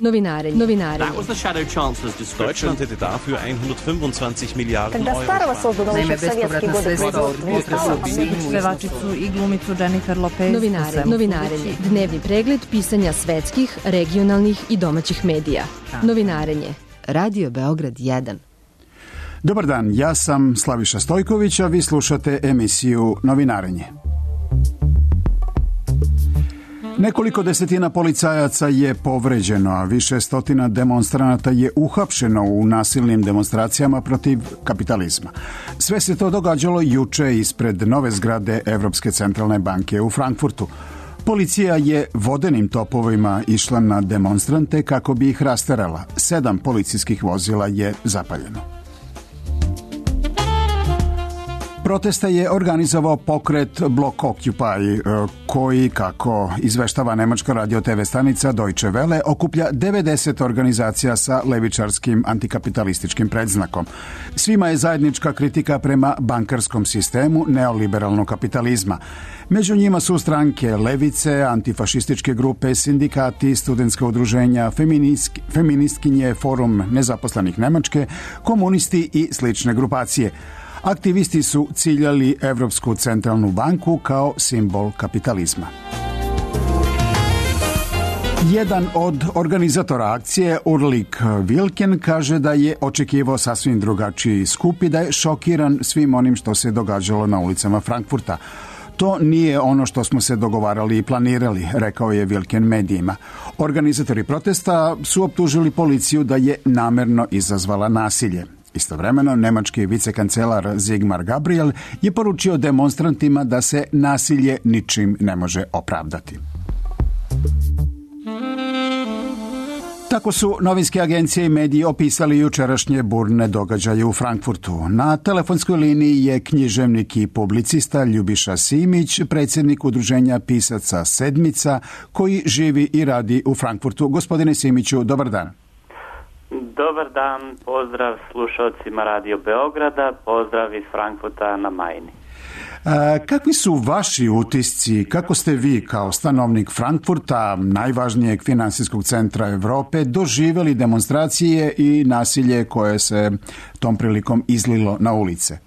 Novinare. That was the Shadow Chancellor's description. Deutschland hätte dafür 125 Milijarden Когда старого создано еще в советские годы Pevačicu i glumicu Jennifer Lopez. Novinarenje. Dnevni pregled pisanja svetskih, regionalnih i domaćih medija. Novinarenje. Radio Beograd 1. Dobar dan, ja sam Slaviša Stojković, a vi slušate emisiju Novinarenje. Nekoliko desetina policajaca je povređeno, a više stotina demonstranata je uhapšeno u nasilnim demonstracijama protiv kapitalizma. Sve se to događalo juče ispred nove zgrade Evropske centralne banke u Frankfurtu. Policija je vodenim topovima išla na demonstrante kako bi ih rasterala. 7 policijskih vozila je zapaljeno. Protesta je organizovao pokret Block Occupy, koji, kako izveštava nemačka radio TV stanica Deutsche Welle, okuplja 90 organizacija sa levičarskim antikapitalističkim predznakom. Svima je zajednička kritika prema bankarskom sistemu neoliberalnog kapitalizma. Među njima su stranke levice, antifašističke grupe, sindikati, studentska udruženja, feministkinje, forum nezaposlenih Nemačke, komunisti i slične grupacije. Aktivisti su ciljali Evropsku centralnu banku kao simbol kapitalizma. Jedan od organizatora akcije, Ulrik Wilken, kaže da je očekivao sasvim drugačiji skup i da je šokiran svim onim što se događalo na ulicama Frankfurta. To nije ono što smo se dogovarali i planirali, rekao je Wilken medijima. Organizatori protesta su optužili policiju da je namerno izazvala nasilje. Istovremeno, nemački vicekancelar Sigmar Gabriel je poručio demonstrantima da se nasilje ničim ne može opravdati. Tako su novinske agencije i mediji opisali jučerašnje burne događaje u Frankfurtu. Na telefonskoj liniji je književnik i publicista Ljubiša Simić, predsjednik udruženja pisaca Sedmica, koji živi i radi u Frankfurtu. Gospodine Simiću, dobar dan. Dobar dan, pozdrav slušalcima Radio Beograda, pozdrav iz Frankfurta na Majni. Kakvi su vaši utisci, kako ste vi kao stanovnik Frankfurta, najvažnijeg finansijskog centra Europe, doživjeli demonstracije i nasilje koje se tom prilikom izlilo na ulice?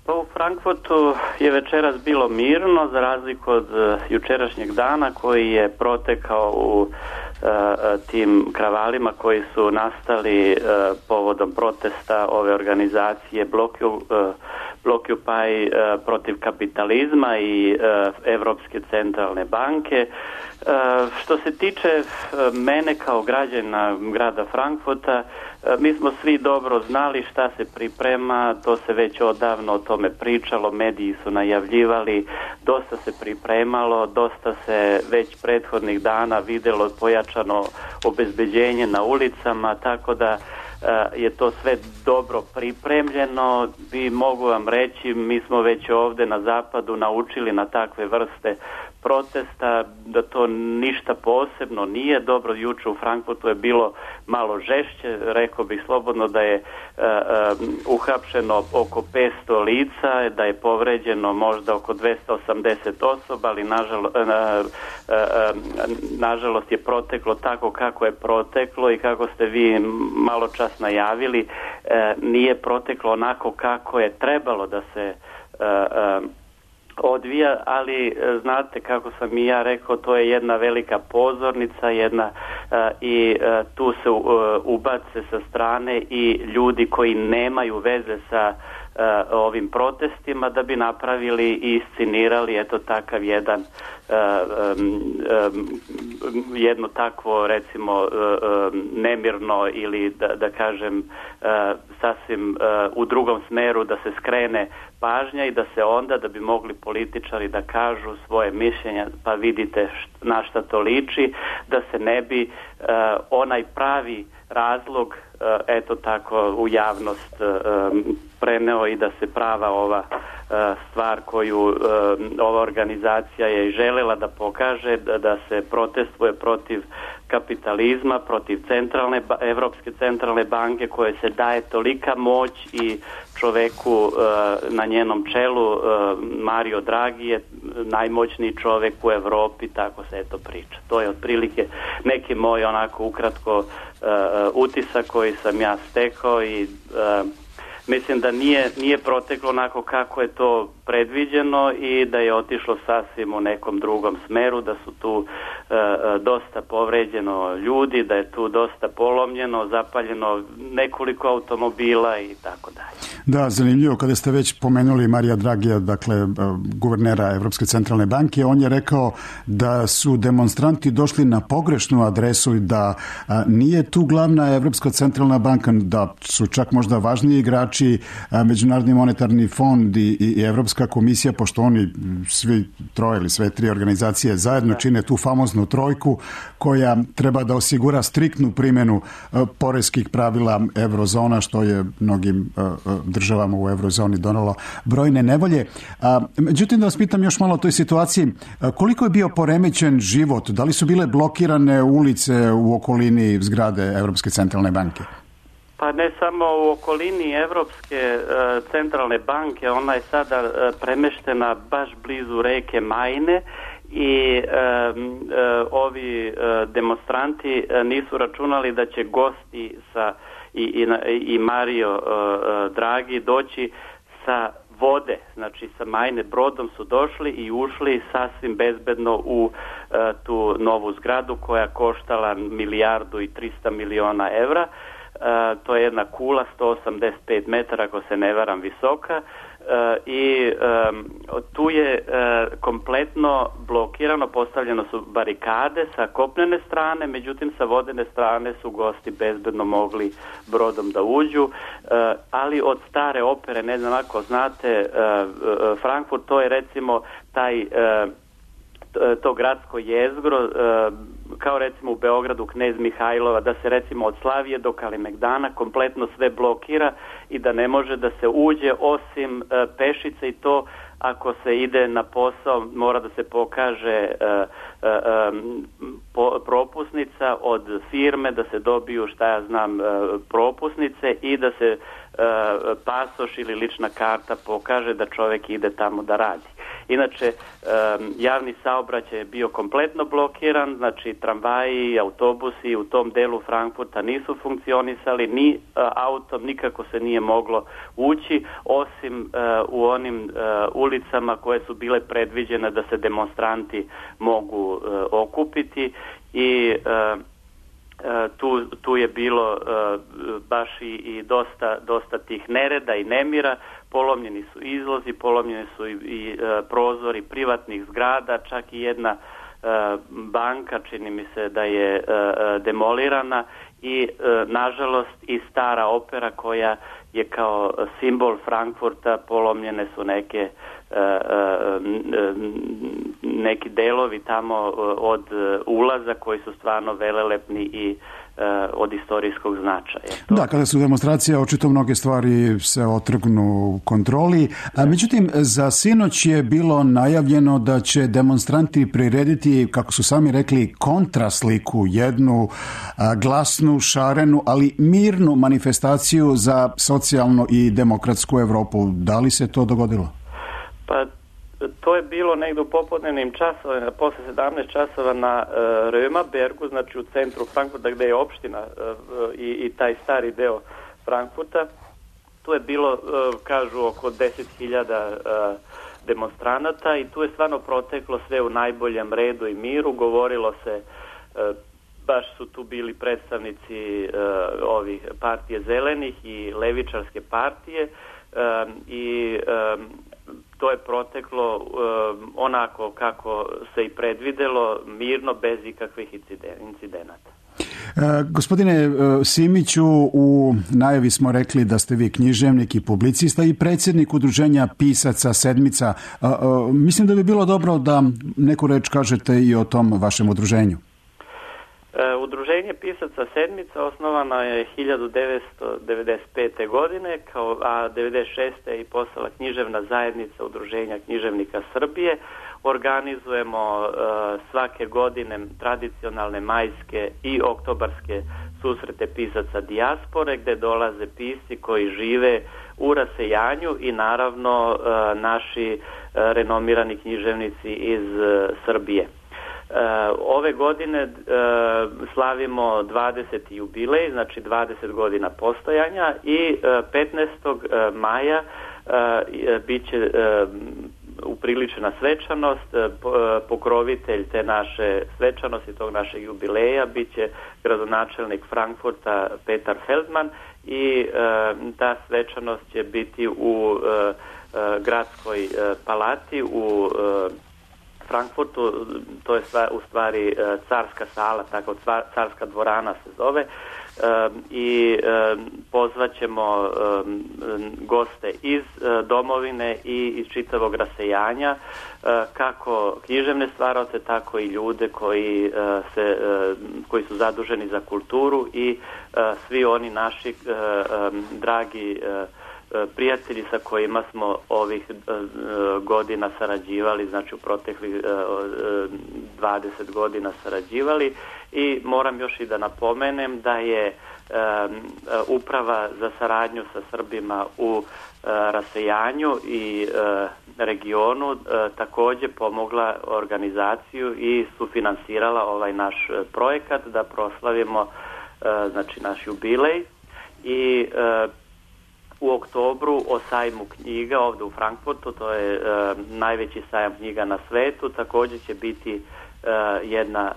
Pa u Frankfurtu je večeras bilo mirno, za razliku od jučerašnjeg dana koji je protekao u tim kravalima koji su nastali povodom protesta ove organizacije Blockupy protiv kapitalizma i Evropske centralne banke. Što se tiče mene kao građana grada Frankfurta, mi smo svi dobro znali šta se priprema, to se već odavno o tome pričalo, mediji su najavljivali, dosta se pripremalo, dosta se već prethodnih dana vidjelo pojačano obezbeđenje na ulicama, tako da je to sve dobro pripremljeno i mogu vam reći, mi smo već ovdje na zapadu naučili na takve vrste protesta, da to ništa posebno nije dobro. Juče u Frankfurtu je bilo malo žešće, rekao bih slobodno da je uhapšeno oko 500 lica, da je povređeno možda oko 280 osoba, ali nažalost je proteklo tako kako je proteklo i kako ste vi malo čas najavili, nije proteklo onako kako je trebalo da se odvija, ali znate kako sam i ja rekao, to je jedna velika pozornica, i tu se ubace sa strane i ljudi koji nemaju veze sa ovim protestima da bi napravili i iscinirali takav jedno takvo recimo nemirno ili da kažem sasvim u drugom smeru da se skrene pažnja i da se onda da bi mogli političari da kažu svoje mišljenja, pa vidite na šta to liči, da se ne bi onaj pravi razlog tako u javnost preneo i da se prava ova stvar koju ova organizacija je željela da pokaže, da se protestuje protiv kapitalizma, protiv Evropske centralne banke koje se daje tolika moć i čoveku na njenom čelu Mario Draghi je najmoćniji čovjek u Europi, tako se eto priča. To je otprilike neki moj onako ukratko utisak koji sam ja stekao i mislim da nije proteklo onako kako je to predviđeno i da je otišlo sasvim u nekom drugom smeru, da su tu dosta povređeno ljudi, da je tu dosta polomljeno, zapaljeno nekoliko automobila i tako dalje. Da, zanimljivo, kada ste već pomenuli Marija Dragija, dakle guvernera Evropske centralne banke, on je rekao da su demonstranti došli na pogrešnu adresu i da nije tu glavna Evropska centralna banka, da su čak možda važniji igrači Međunarodni monetarni fond i Evropska komisija, pošto oni svi troje ili sve tri organizacije zajedno čine tu famoznu trojku koja treba da osigura striktnu primjenu poreskih pravila eurozona, što je mnogim državama u eurozoni donalo brojne nevolje. Međutim, da vas pitam još malo o toj situaciji, koliko je bio poremećen život? Da li su bile blokirane ulice u okolini zgrade Evropske centralne banke? Pa ne samo u okolini Evropske centralne banke, ona je sada premeštena baš blizu reke Majne i ovi demonstranti nisu računali da će gosti i Mario Draghi doći sa vode, znači sa Majne brodom su došli i ušli sasvim bezbedno u tu novu zgradu koja koštala 1,3 milijarde evra. To je jedna kula 185 metara, ako se ne varam, visoka i tu je kompletno blokirano, postavljeno su barikade sa kopnene strane, međutim sa vodene strane su gosti bezbedno mogli brodom da uđu, ali od stare opere, ne znam ako znate, Frankfurt, to je recimo to gradsko jezgro, kao recimo u Beogradu Knez Mihajlova, da se recimo od Slavije do Kalemegdana kompletno sve blokira i da ne može da se uđe osim pešice, i to ako se ide na posao mora da se pokaže propusnica od firme, da se dobiju propusnice i da se pasoš ili lična karta pokaže da čovjek ide tamo da radi. Inače, javni saobraćaj je bio kompletno blokiran, znači tramvaji, autobusi u tom delu Frankfurta nisu funkcionisali, ni autom nikako se nije moglo ući, osim u onim ulicama koje su bile predviđene da se demonstranti mogu okupiti i tu je bilo baš i dosta tih nereda i nemira. Polomljeni su izlozi, polomljeni su i prozori privatnih zgrada, čak i jedna banka, čini mi se da je demolirana i nažalost i stara opera koja je kao simbol Frankfurta, polomljene su neki delovi tamo od ulaza koji su stvarno velelepni i od istorijskog značaja. Da, kada su demonstracije, očito mnoge stvari se otrgnu kontroli. Međutim, za sinoć je bilo najavljeno da će demonstranti prirediti, kako su sami rekli, kontrasliku, jednu glasnu, šarenu, ali mirnu manifestaciju za socijalnu i demokratsku Europu. Da li se to dogodilo? Pa to je bilo negdje u popodnevnim časovima, posle 17 časova na Römerbergu, znači u centru Frankfurta gdje je opština i taj stari deo Frankfurta. Tu je bilo, kažu, oko 10.000 demonstranata i tu je stvarno proteklo sve u najboljem redu i miru. Govorilo se, baš su tu bili predstavnici ovih partije zelenih i levičarske partije i to je proteklo onako kako se i predvidelo, mirno, bez ikakvih incidenata. Gospodine Simiću, u najavi smo rekli da ste vi književnik i publicista i predsjednik udruženja pisaca Sedmica. Mislim da bi bilo dobro da neku reč kažete i o tom vašem udruženju. Udruženje pisaca Sedmica osnovano je 1995. godine, a 1996. je i postala književna zajednica Udruženja književnika Srbije. organizujemo svake godine tradicionalne majske i oktobarske susrete pisaca dijaspore, gde dolaze pisci koji žive u rasejanju i naravno naši renomirani književnici iz Srbije. Ove godine slavimo 20. jubilej, znači 20 godina postojanja, i 15. maja biće upriličena svečanost. Pokrovitelj te naše svečanosti, tog našeg jubileja, biće gradonačelnik Frankfurta Petar Feldman, i ta svečanost će biti u gradskoj palati u Frankfurtu. To je u stvari carska sala, tako carska dvorana se zove, i pozvaćemo goste iz domovine i iz čitavog rasejanja, kako književne stvaraoce, tako i ljude koji su zaduženi za kulturu i svi oni naši dragi prijatelji sa kojima smo ovih godina sarađivali, znači u proteklih 20 godina sarađivali. I moram još i da napomenem da je Uprava za saradnju sa Srbima u rasejanju i regionu takođe pomogla organizaciju i sufinansirala ovaj naš projekat da proslavimo znači naš jubilej. I u oktobru o sajmu knjiga ovde u Frankfurtu, to je najveći sajam knjiga na svetu, takođe će biti jedna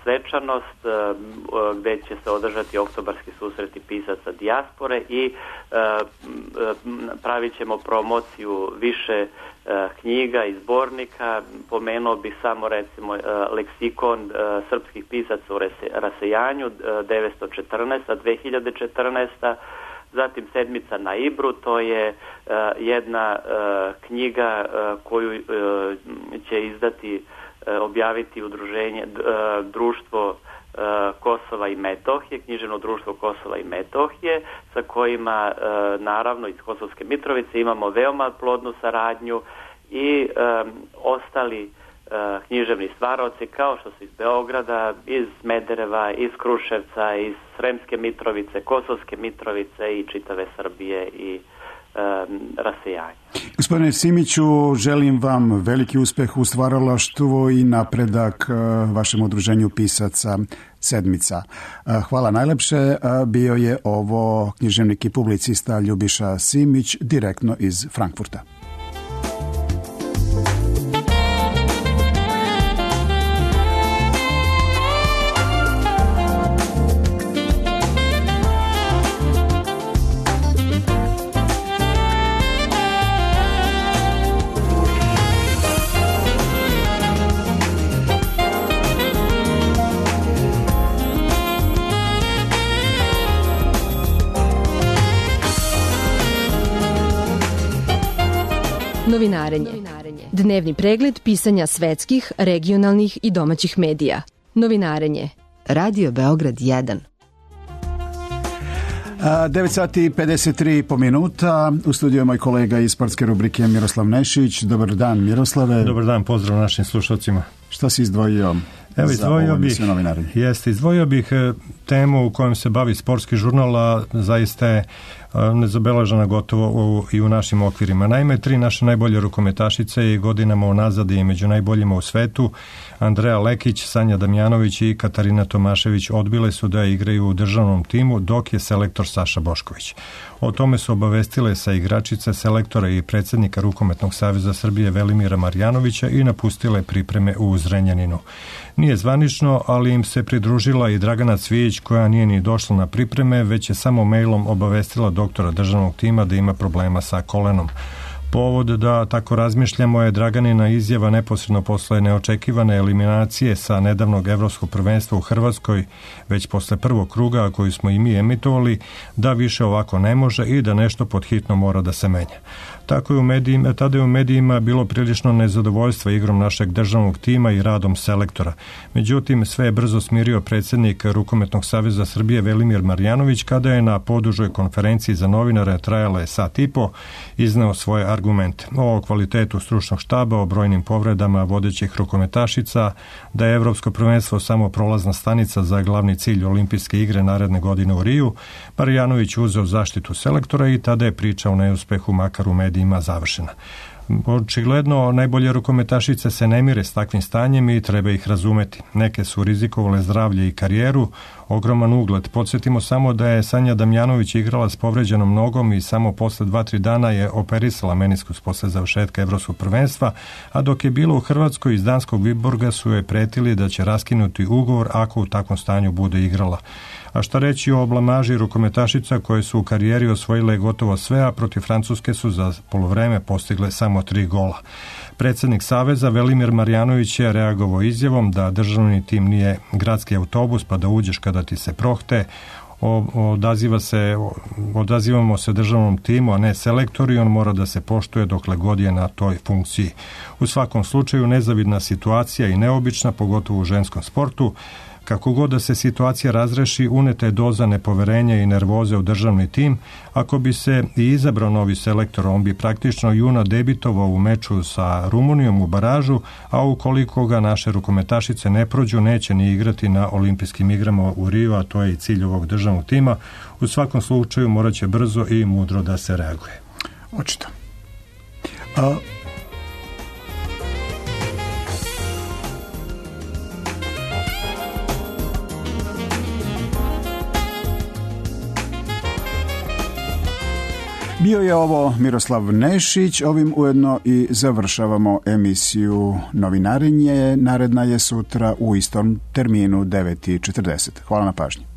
svečanost gde će se održati oktobarski susreti pisaca dijaspore i pravit ćemo promociju više knjiga i zbornika. Pomenuo bih samo recimo leksikon srpskih pisaca u rasejanju 914-2014, zatim Sedmica na Ibru, to je jedna knjiga koju će izdati, objaviti udruženje Društvo Kosova i Metohije, književno društvo Kosova i Metohije, sa kojima naravno iz Kosovske Mitrovice imamo veoma plodnu saradnju, i ostali književni stvaraoci kao što su iz Beograda, iz Smedereva, iz Kruševca, iz Sremske Mitrovice, Kosovske Mitrovice i čitave Srbije i rasejanja. Gospodine Simiću, želim vam veliki uspeh u stvaralaštvu i napredak vašem udruženju pisaca Sedmica. Hvala najlepše. Bio je ovo književnik i publicista Ljubiša Simić, direktno iz Frankfurta. Novinarenje. Dnevni pregled pisanja svetskih, regionalnih i domaćih medija. Novinarenje. Radio Beograd 1. 9 sati i 53 po minuta. U studiju je moj kolega iz sportske rubrike Miroslav Nešić. Dobar dan, Miroslave. Dobar dan, pozdrav našim slušalcima. Šta si izdvojio? Evo, izdvojio bih temu u kojom se bavi sportski žurnal, a zaista je nezabeležena gotovo i u našim okvirima. Naime, 3 naše najbolje rukometašice i godinama unazad i među najboljima u svetu, Andreja Lekić, Sanja Damjanović i Katarina Tomašević, odbile su da igraju u državnom timu, dok je selektor Saša Bošković. O tome su obavestile sa igračice, selektora i predsjednika Rukometnog saveza Srbije Velimira Marjanovića i napustile pripreme u Zrenjaninu. Nije zvanično, ali im se pridružila i Dragana Cvijić, koja nije ni došla na pripreme, već je samo mailom obavestila doktora državnog tima da ima problema sa kolenom. Povod da tako razmišljamo je Draganina izjava neposredno posle neočekivane eliminacije sa nedavnog evropskog prvenstva u Hrvatskoj, već posle prvog kruga koji smo i mi emitovali, da više ovako ne može i da nešto pod hitno mora da se menja. Tada je u medijima bilo prilično nezadovoljstva igrom našeg državnog tima i radom selektora. Međutim, sve je brzo smirio predsjednik Rukometnog saveza Srbije Velimir Marjanović, kada je na podužoj konferenciji za novinare, trajala je sat i po, izneo svoje argumente argumente o kvalitetu stručnog štaba, o brojnim povredama vodećih rukometašica, da je Evropsko prvenstvo samo prolazna stanica za glavni cilj olimpijske igre naredne godine u Riju. Marjanović uzeo zaštitu selektora i tada je priča o neuspehu makar u medijima završena. Očigledno, najbolje rukometašice se ne mire s takvim stanjem i treba ih razumeti. Neke su rizikovale zdravlje i karijeru, ogroman ugled. Podsjetimo samo da je Sanja Damjanović igrala s povređenom nogom i samo posle 2-3 dana je operisala meniskus posle završetka Evropskog prvenstva, a dok je bilo u Hrvatskoj iz danskog Viborga su je pretili da će raskinuti ugovor ako u takvom stanju bude igrala. A šta reći o blamaži rukometašica koje su u karijeri osvojile gotovo sve, a protiv Francuske su za poluvreme postigle samo 3 gola. Predsjednik Saveza Velimir Marjanović je reagovao izjavom da državni tim nije gradski autobus pa da uđeš kada ti se prohte. Odazivamo se državnom timu, a ne selektoru i on mora da se poštuje dokle god je na toj funkciji. U svakom slučaju nezavidna situacija i neobična, pogotovo u ženskom sportu. Kako god da se situacija razreši, uneta je doza nepoverenja i nervoze u državni tim. Ako bi se i izabrao novi selektor, on bi praktično juna debitovao u meču sa Rumunijom u baražu, a ukoliko ga naše rukometašice ne prođu, neće ni igrati na olimpijskim igrama u Riju, a to je i cilj ovog državnog tima. U svakom slučaju morat će brzo i mudro da se reaguje. Očito. Bio je ovo Miroslav Nešić, ovim ujedno i završavamo emisiju Novinarenje. Naredna je sutra u istom terminu 9:40. Hvala na pažnji.